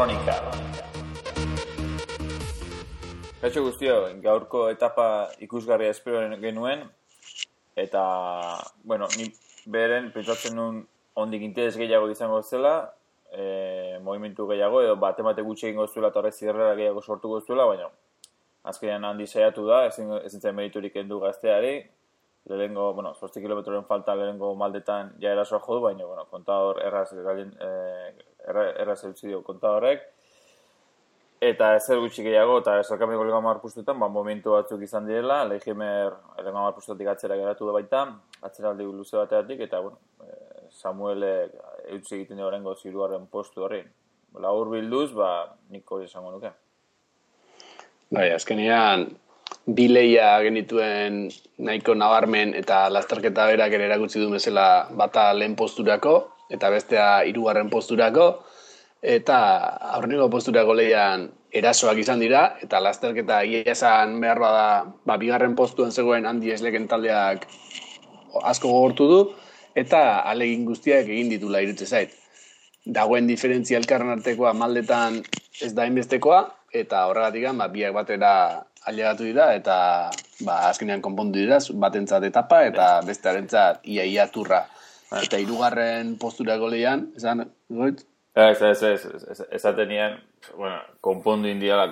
Kronika. Kaixo guztio, gaurko etapa ikusgarria espero genuen, eta, bueno, ni beren pentsatzen nuen ondik interes gehiago izango zela, movimentu gehiago, edo bate gutxi egingo zuela eta horrek zirrera gehiago sortuko zuela, baina azkenean handi saiatu da, ezin zen meriturik kendu gazteari, lehenengo, 8 kilometroren falta lehenengo maldetan ja erasoa jodu, baina, kontador erraz eutzi dio kontadorrek, eta ezer gutxi gehiago, eta esalkamiko lehenengo 10 pustuetan, momentu batzuk izan direla, Leijimer lehenengo 10 pustuetik atzera geratu da baita, atzeraldi luze bateatik, eta, Samuelek eutzi egiten dio horrengo ziruaren postu horri. Labur bilduz, nik hori esango nuke. Bai, azkenean, bi lehia genituen nahiko nabarmen eta lasterketa berak ere erakutsi du bezala bata lehen posturako eta bestea 3. posturako eta aurreneko posturako lehian erasoak izan dira eta lasterketa egia esan beharra da 2. postuan zegoen Handi Esleken taldeak asko gogortu du eta alegin guztiak egin ditula irutze zait. Dagoen diferentzia elkarren artekoa maldetan ez da inbestekoa eta horregatik biak batera ailegatu dira eta azkenean konpondu dira batentzat etapa eta bestearentzat ia turra. Eta 3. posturako lehian, esan, goit? Esatenean, konpondu indiala.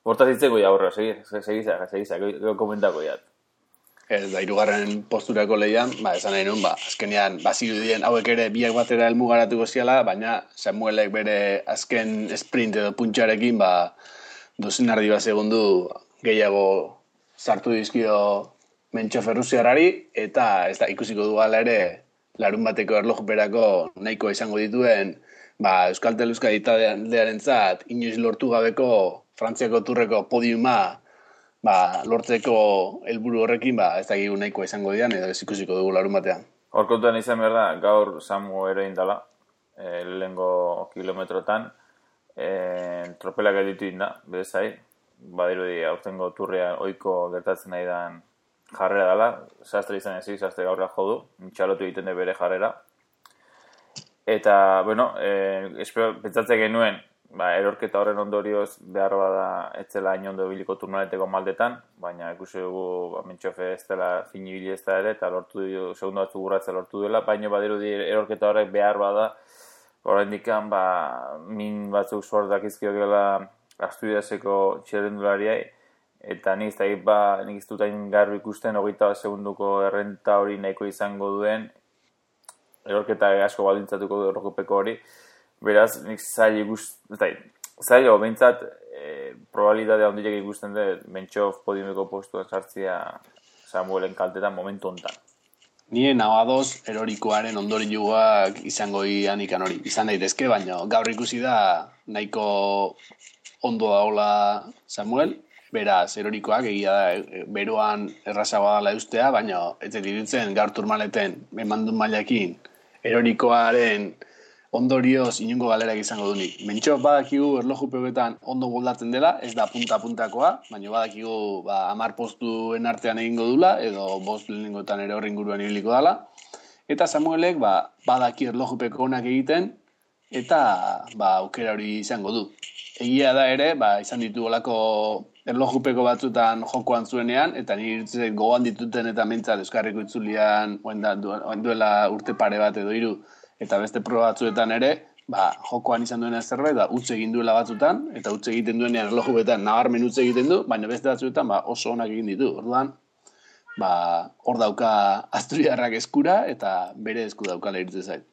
Hortaz hitzeko ja horra, segizak, komentako jat. Ez da, 3. posturako lehian, esan nahi nun, azkenean, zirudien hauek ere biak batera helmugaratuko ziala, baina Samuelek bere azken sprint edo puntxarekin, dozenardi bat segundu gehiago sartu dizkio Mentxo Ferruziarrari, eta ez da ikusiko duala ere larun bateko erlojuperako nahiko izango dituen Euskaltel Euskadi taldearentzat inoiz lortu gabeko Frantziako turreko podiuma lortzeko helburu horrekin ez dakigu nahiko izango dian edo ez ikusiko dugu larun batean. Hor kontuan izan behar da, gaur Samu ere indala, lehengo kilometrotan, tropelak editu inda, bezai, badirudi aurtengo turrean ohiko gertatzen nahi dan jarrera dela, sastre izan ezik, sastre gaurra jodu, txalotu egiten de bere jarrera. Eta, pentsatzen genuen, erorketa horren ondorioz behar bada etzela hain ondo biliko turnaleteko maldetan, baina ikusi dugu Mentxofe ez dela finibili ez da ere, eta segundo batzuk urratza lortu dela, baina badirudi erorketa horrek behar bada, oraindik min batzuk suert dakizkio gela Asturiaseko txirrendulariai, eta nik ez dut hain garbi ikusten 20 segunduko errenta hori nahiko izango duen, erorketa asko baldintzatuko du errokupeko hori, beraz nik zailo, behintzat probabilitatea handiak ikusten dut Mentxof podiumeko postuan sartzia Samuelen kaltetan momentu honetan. Nien adoz erorikoaren ondorioak izango ikan hori. Izan daitezke, baina gaur ikusi da nahiko ondo daola Samuel, beraz erorikoak egia da beroan errazagoa dela eustea, baina ez dirutzen gaur turmaleten emandun mailakin erorikoaren ondorioz inungo galerak izango dunik. Mentxo badakigu erlojupeoetan ondo moldatzen dela, ez da punta-puntakoa, baina badakigu 10 postuen artean egingo dula, edo 5 lehenengoetan ere horri inguruan ibiliko dela. Eta Samuelek badaki erlojupeko onak egiten, eta aukera hori izango du. Egia da ere, izan ditu olako erlojupeko batzutan jokoan zuenean, eta nire irutzen gogoan dituten eta mentzat Euskarriko itzulian duela urte pare bat edo 3, eta beste proba batzuetan ere, jokoan izan duena zerbait, utz egin duela batzutan, eta utz egiten duenean erlojupetan nabarmen utz egiten du, baina beste batzuetan oso onak egin ditu. Orduan, hor dauka Asturiarrak eskura, eta bere esku daukala irutzen zait.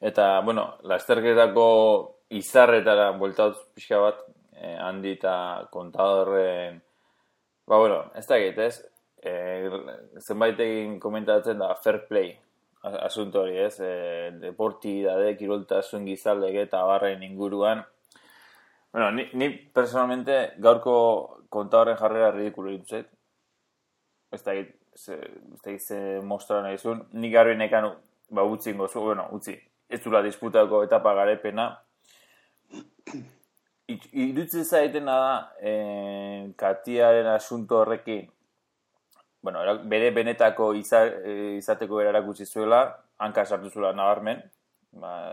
Eta, lasterketako izarretara bueltatuz pixka bat, Handi eta kontadorren, ez da egitez, zenbait egin komentatzen da fair play asunto hori, ez? Deportidade, kiroltasun gizaldege eta barren inguruan. Ni personalmente gaurko kontadorren jarrera ridikulo dituzet. Ez da egitze mostra nahi zuen. Nik garbi nekan utzi ingo zu, utzi. Ez zula disputako etapa garepena. Irutzen zaitena da, Katiaren asunto horrekin, bere benetako izateko erarakutsi zuela, hanka sartu zuela nabarmen,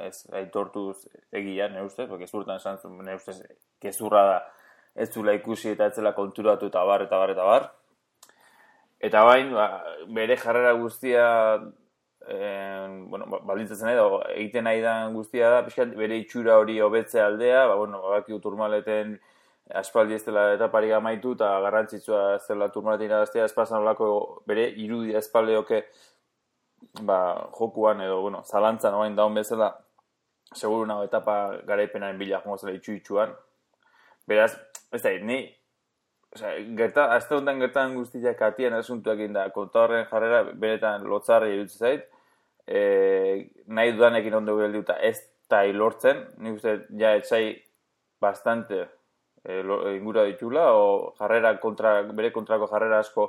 ez aitortuz egia, nire ustez, porque zurtan esan zuen, nire ustez, gezurra da, ez zula ikusi eta ez zela konturatu eta bar, eta bar, eta bar. Eta bain, bere jarrera guztia, baldintzatzen nahi da, egiten nahi da guztia da, pixkat bere itxura hori hobetze aldea, baki Turmaleten aspaldi ez dela etaparik amaitu, eta garrantzitsua ez dela Turmaleten irabaztea, espazan olako bere irudia espaldeoke, jokuan edo, zalantzan oain daun bezala, seguru nago etapa garaipenaren bila jongo zela itxuan. Beraz, ez da, ni, azte honetan gertan guztiak atian asuntuak da, kontadorren jarrera beretan lotzarri iruditzen zait, nahi dudanekin ondo geldiuta ez da hilortzen, nik uste ja etxai bastante ingura ditula, o jarrera bere kontrako jarrera asko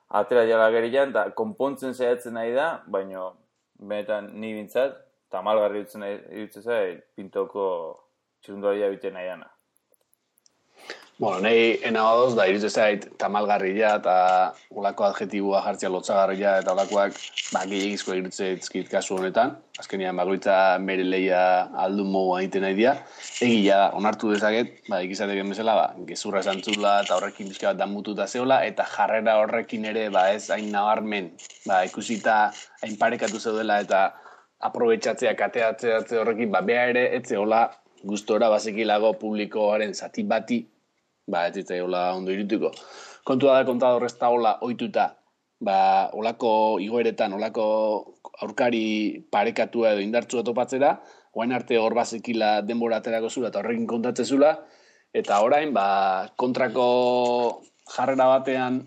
atera jala gerian, eta konpontzen saiatzen nahi da, baina benetan ni bintzat, tamalgarri iruditzen zait, Pintoko txirundaria biten nahi dana. Nahi enagoz, da iruditzen zait tamalgarria eta olako adjetiboa jartzea lotzagarria eta olakoak gehiagizko iruditzen zait kasu honetan. Azkenean bakoitza bere lehia aldun mogu egiten nahi dira. Egia da, onartu dezaket, ikizateken bezala, gezurra esan zula eta horrekin bizka bat damututa zeola, eta jarrera horrekin ere ez hain nabarmen, ikusita hain parekatu zeudela eta aprobetxatzea, kateatzea horrekin, beha ere, ez zeola gustora bazekilago publikoaren zati bati, ez zitzaiola ondo irituko. Kontua da kontador ez da hola ohituta, olako igoeretan, olako aurkari parekatua edo indartsua topatzera, oain arte hor bazekila denbora aterako zula eta horrekin kontatzen zula, eta orain, kontrako jarrera batean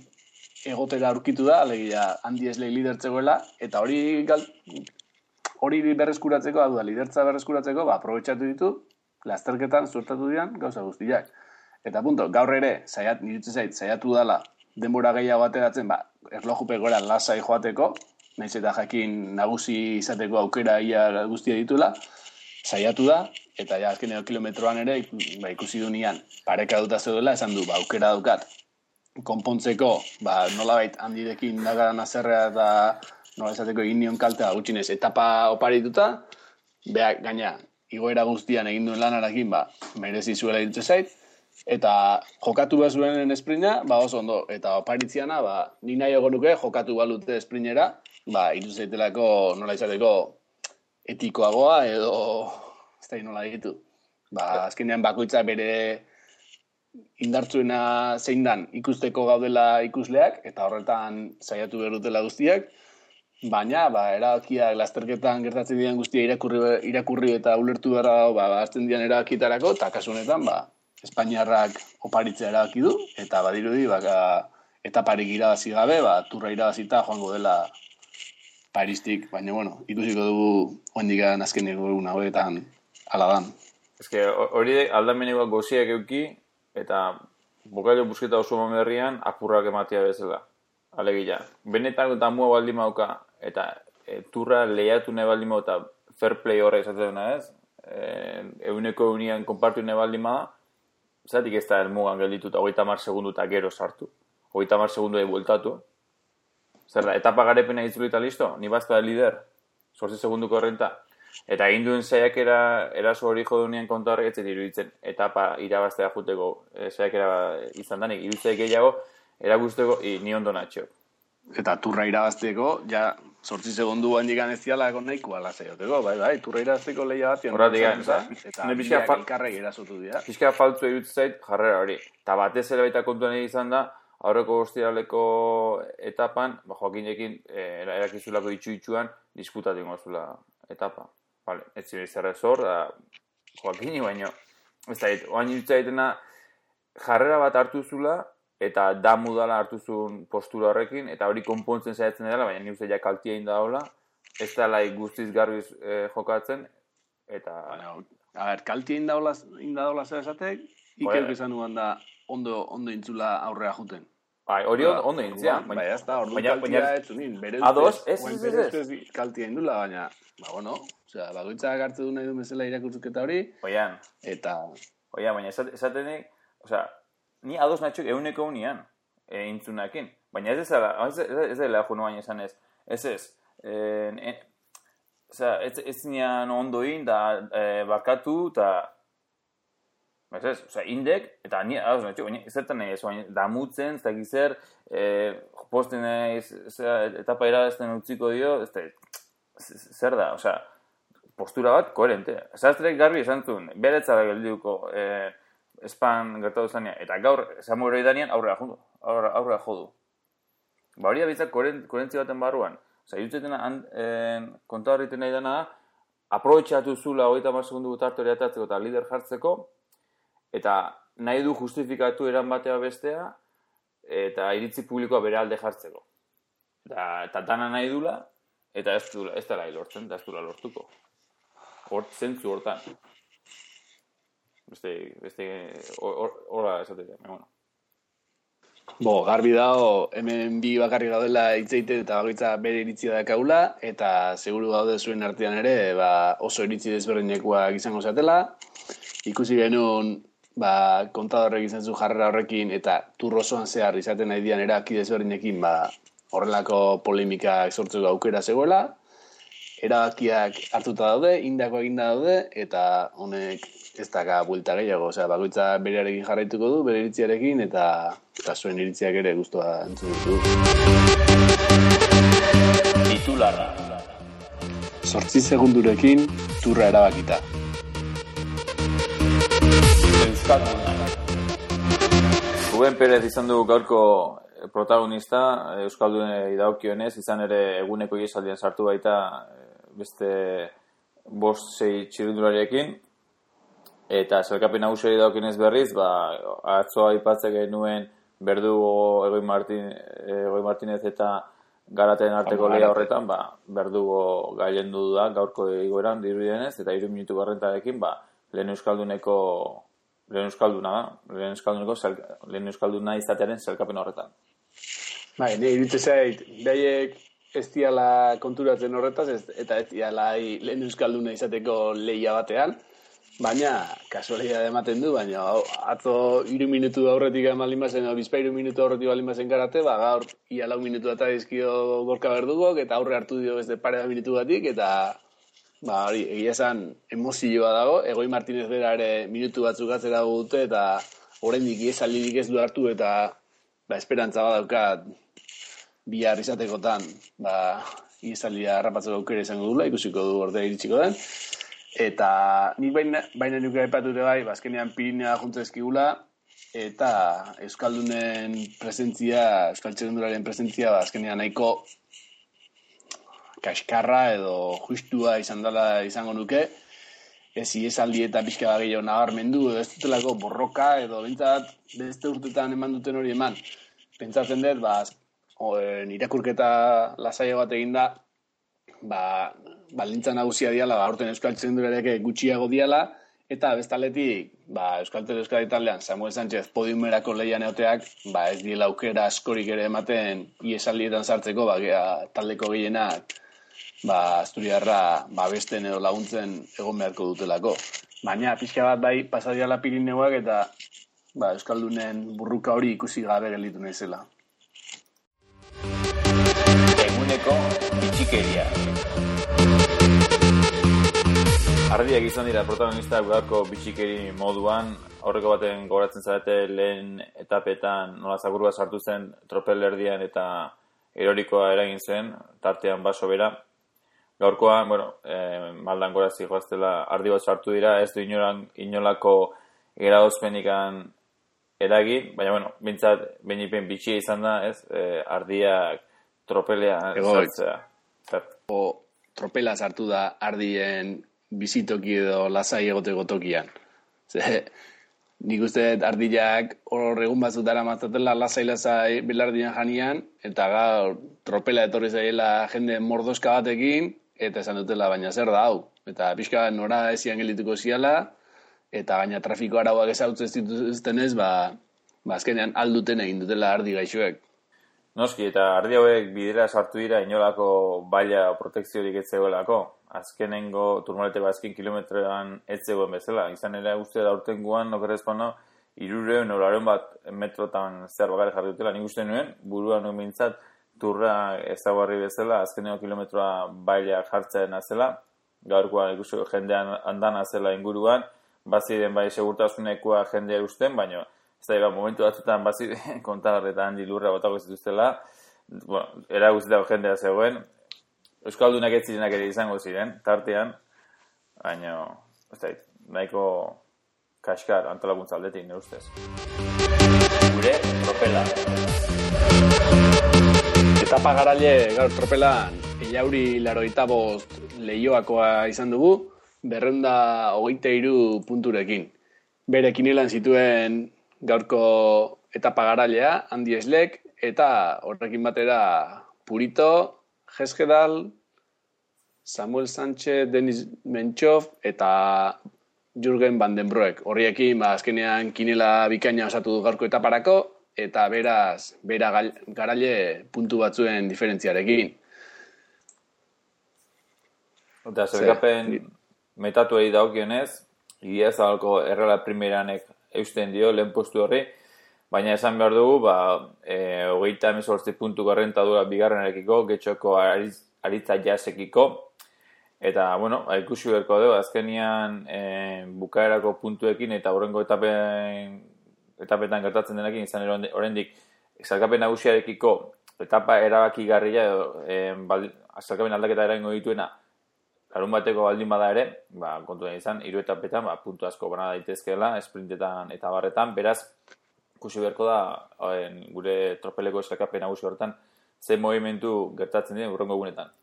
egotera aurkitu da, alegia handi eslei lidertzegoela, eta hori berreskuratzeko, lidertza berreskuratzeko, aprobetxatu ditu, lasterketan suertatu dian gauza guztiak. Eta punto, gaur ere, nirutzen zait, saiatu dala, denbora gehiago ateratzen, erlojupe gora lasai joateko, nahiz eta jakin nagusi izateko aukera ia guztia ditula, saiatu da, eta ja azkeneko kilometroan ere, ikusi du nian, pareka duta zeudela, esan du, aukera daukat, konpontzeko, nolabait handirekin dagaran azerrea eta nola esateko egin nion kaltea gutxinez etapa oparituta, beak gaina, igoera guztian egin duen lanarakin, merezi zuela irutzen zait, eta jokatu behar zuen esprinta, oso ondo, eta oparitziana, ni nahi nuke jokatu balute esprinera, irutzen zaitelako nola izateko etikoagoa edo ez da nola ditu. Azkenean bakoitza bere indartzuena zein dan ikusteko gaudela ikusleak, eta horretan saiatu behar dutela guztiak, baina, erabakiak lasterketan gertatzen dian guztia irakurri eta ulertu behar azten dian erabakietarako, eta kasu honetan, Espainiarrak oparitzea erabaki du, eta badirudi, etaparik irabazi gabe, turra irabazita joango dela Paristik, baina, ikusiko dugu oendikan azkeneko egun hauetan ala dan. Hori aldamenekoak goziak euki, eta bokailo busketa oso berrian apurrak ematea bezala. Alegia, benetan eta mua baldin mauka, eta turra lehiatu nahi baldin mauka, eta fair play horrek esatzen duna ez, eguneko eunian konpartu nahi baldin mauka, zatik ez da elmugan geldituta 30 segundu eta gero sartu. 30 segundu bueltatu. Zer da, etapa garepena itzulita listo? Ni bazta lider. 8 segunduko horrenta. Eta egin duen saiakera eraso hori jodunean konta horrek etzet iruditzen. Etapa irabaztea juteko saiakera izan danik. Iruditzea gehiago, eragusteko, ni ondo natxo. Eta turra irabazteko, 8 segundu handikan ez ziala egon nahikoa lasaioteko, turra irabazteko lehia bat. Horratik eta biak elkarrek erasotu dira. Pizka faltzu egitzen zait jarrera hori. Eta batez ere baita kontuan izan da, aurreko ostiraleko etapan, Joakinekin erakizulako itxuan, disputatu ingo zula etapa. Ez ziren izarra zor, Joakini baino. Ez da, oain irutzea jarrera bat hartu zula, eta damu dala hartu zuen postura horrekin, eta hori konpontzen saiatzen dela, baina nik uste ja kaltia inda daula, ez dela guztiz garbiz jokatzen, eta... Kaltia inda daula zer esatek, ikeuk esan nuan da ondo intzula aurrea juten. Hori ondo intzia. Ez da, ordu kaltia ez zunin, bere ustez kaltia indula, baina, bagoitzak hartu du nahi du bezala irakurtzuketa hori, eta... Baina esatenik, ni ados natxok eguneko unian intzunakin. Baina ez dela jo baina esan ez. Ez. ez zinean ondo egin, da barkatu, eta indek, eta zertan nahi ez, damutzen, ez da gizer, posten etapa erazten utziko dio, zer da, postura bat koherente. Sastrek garbi esan zuen, beretzara geldiuko espan gertatu zanean, eta gaur Samuel Danian aurrera jodu. Hori abitzak koherentzia baten barruan. Irutzeten konta horreiten nahi dena, aprobetxatu zula 30 segundu tartori atatzeko eta lider jartzeko, eta nahi du justifikatu eran batea bestea, eta iritzi publikoa bere alde jartzeko. Eta dana nahi dula, eta ez dela lortzen, eta ez dula lortuko. Zentzu hortan. Beste horra esatea, bueno. Garbi dago, hemen bi bakarrik gaudela hitzeiten eta bakoitza bere iritzia dakaula, eta seguru gaude zuen artean ere oso iritzi desberdinekoak izango zatela. Ikusi genuen kontadorrek izan zu jarrera horrekin eta turrozoan zehar izaten nahi dian eraki desberdinekin horrelako polemikak sortzeko aukera zegoela. Erabakiak hartuta daude, indako eginda daude, eta honek ez daka buelta gehiago. Bakoitza berearekin jarraituko du, bere iritziarekin, eta zuen iritziak ere guztua entzun ditu. Titularra. 8 segundurekin turra erabakita. Euskalduna. Ruben Perez izan du gaurko protagonista, Euskaldunei dagokionez, izan ere eguneko ihesaldian sartu baita beste 5-6 txirrindulariekin, eta zelkapen nagusiari dagokionez berriz, atzoa aipatzen genuen Berdugo, Egoi Martinez eta Garaten arteko lehia horretan, Berdugo gailendu da gaurko igoeran dirudienez, eta 3 minutu garrentarekin, lehen euskalduna izatearen zelkapen horretan. Nire iritze zait, behaiek ez diala konturatzen horretaz, eta ez diala lehen euskalduna izateko lehia batean, baina kasualidade ematen du, baina atzo 3 minutu aurretik emalin bazen, bizpa 3 minutu aurretik balin bazen Karate, gaur ia 4 minutu eta dizkio Gorka Berdugok, eta aurre hartu dio beste pare da minutu batik, eta hori, egia esan emozioa dago, Egoi Martinez bera ere minutu batzuk atzera dute, eta oraindik ihesaldirik ez du hartu, eta esperantza badaukat bihar izatekotan, ihesaldia harrapatzeko aukera izango dula, ikusiko du ordea iritsiko den. Eta nik baina nuke aipatute azkenean Pirinea juntzezkigula, eta Euskaldunen presentzia, Euskal Txirrindularen presentzia, azkenean nahiko kaskarra edo justua izango nuke, ez ihesaldi eta pixka gehiago nabarmendu, edo ez dutelako borroka, edo bintzat beste urtetan eman duten hori eman. Pentsatzen dut, irakurketa lasaio bat eginda, balintza nagusia diala, aurten Euskal Txirrindularekin gutxiago diala, eta bestaletik, Euskal Euskadi taldean Samuel Sánchez podiumerako lehian egoteak, ez diela aukera askorik ere ematen ihesaldietan sartzeko, taldeko gehienak, Asturiarra babesten edo laguntzen egon beharko dutelako. Baina, pixka bat pasadiala Pirineoak eta Euskaldunen burruka hori ikusi gabe gelditu naizela. Eguneko bitxikeria. Ardiak izan dira protagonistak gaurko bitxikeri moduan, aurreko baten gogoratzen zarete lehen etapetan nola zakurua sartu zen tropelerdian eta erorikoa eragin zen, tartean baso bera. Gaurkoan, maldan gorazi joaztela ardi bat sartu dira, ez du inolako erauzpenikan eragin, baina, bintzat, benipen bitxia izan da, ardiak tropelea sartzea. Tropela sartu da ardien bizitoki edo lasai egoteko tokian. Nik uste ardiak hor egun batzutara matzatela lasai belardian janian, eta gaur tropela etorri zaiela jende mordoska batekin, eta esan dutela, baina zer da hau. Eta pixka nora ezian geldituko ziala, eta gaina trafiko arauak ezautzen dituztenez, azkenean alduten egin dutela ardi gaixoek. Noski, eta ardi hauek bidera sartu dira inolako baila protekziorik ez zegoelako. Azkenengo turmaleteko azken kilometroan ez zegoen bezala. Izan ere uste da urtengoan, okerrezpano, 300 bat metrotan zer bakare jarri dutela. Nik uste nuen, buruan nuen bintzat, turra ezaguarri bezala, azkeneko kilometroa baila jartzen azela, gaurkoan ikusi jendean andan azela inguruan, baziren bai segurtasunekoa jendea usten, baina ez da, momentu batzutan baziren kontagarretan handi lurra botako zituztela, eraguzitako jendea zegoen, Euskaldunak ez zirenak ere izango ziren, tartean, baina, ez da, nahiko kaskar antolakuntza aldetik, ne ustez. Gure tropela. Etapa garaile gaur tropelan Ellauri 85 Leioakoa izan dugu, 223 punturekin. Bere kinelan zituen gaurko etapa garailea, Andi Eslek, eta horrekin batera Purito, Jeskedal, Samuel Sánchez, Denis Menchov eta Jürgen van den Broek. Horriekin azkenean kinela bikaina osatu du gaurko etaparako, eta beraz, bera garaile puntu batzuen diferentziarekin. Eta zergapen metatuei daukionez, Igia Zabalko errela primeranek eusten dio lehen postu horri, baina esan behar dugu, 38 puntu garrentadura bigarrenarekiko, getxoko aritza jasekiko, eta, ikusi berko dugu, azkenian bukaerako puntuekin eta horrengo etapetan gertatzen denekin, izan oraindik zalkapen nagusiarekiko etapa erabakigarria zalkapen aldaketa eraingo dituena larun bateko baldin bada ere, kontuan izan, 3 etapetan puntu asko bana daitezkeela, esprintetan eta barretan, beraz, ikusi beharko da gure tropeleko zalkapen nagusi horretan, ze movimentu gertatzen dien urrengo egunetan.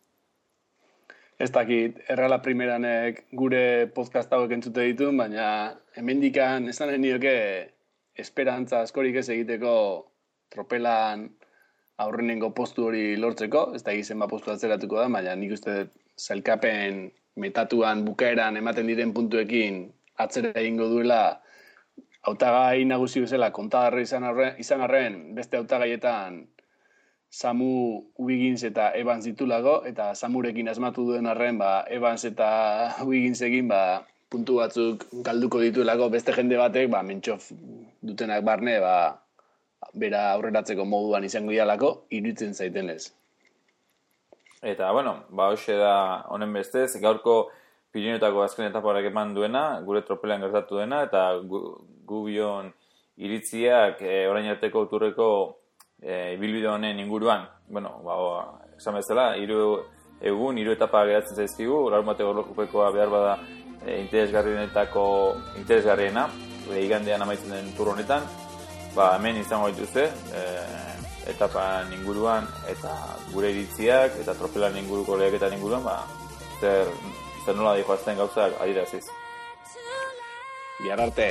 Ez dakit, errala primeranek gure podcast hauek entzute ditu, baina hemendikan ez da nioke esperantza askorik ez egiteko tropelan aurrenengo postu hori lortzeko, ez da zenbat postu atzeratuko da, baina nik uste zailkapen metatuan bukaeran ematen diren puntuekin atzera egingo duela hautagai nagusi bezala kontagarri izan arren beste hautagaietan Samu Wiggins eta Evans ditulago, eta Samurekin asmatu duen arren, Evans eta Wigginsekin puntu batzuk galduko dituelako beste jende batek, Menchov dutenak barne, bera aurreratzeko moduan izango dialako, iruditzen zaitenez. Eta, hoxe da honen bestez, gaurko Pirinotako azken etaparak eman duena, gure tropelan gertatu dena, eta gubion iritziak orain arteko turreko ibilbide honen inguruan, esan bezala, 3 egun, 3 etapa geratzen zaizkigu, larun bateko lokupekoa behar bada interesgarriena, igandean amaitzen den tur honetan, hemen izango dituzte, etapan inguruan, eta gure iritziak, eta tropelan inguruko leheketan inguruan, zer nola dihoazten gauzak adiraziz. Bihar arte!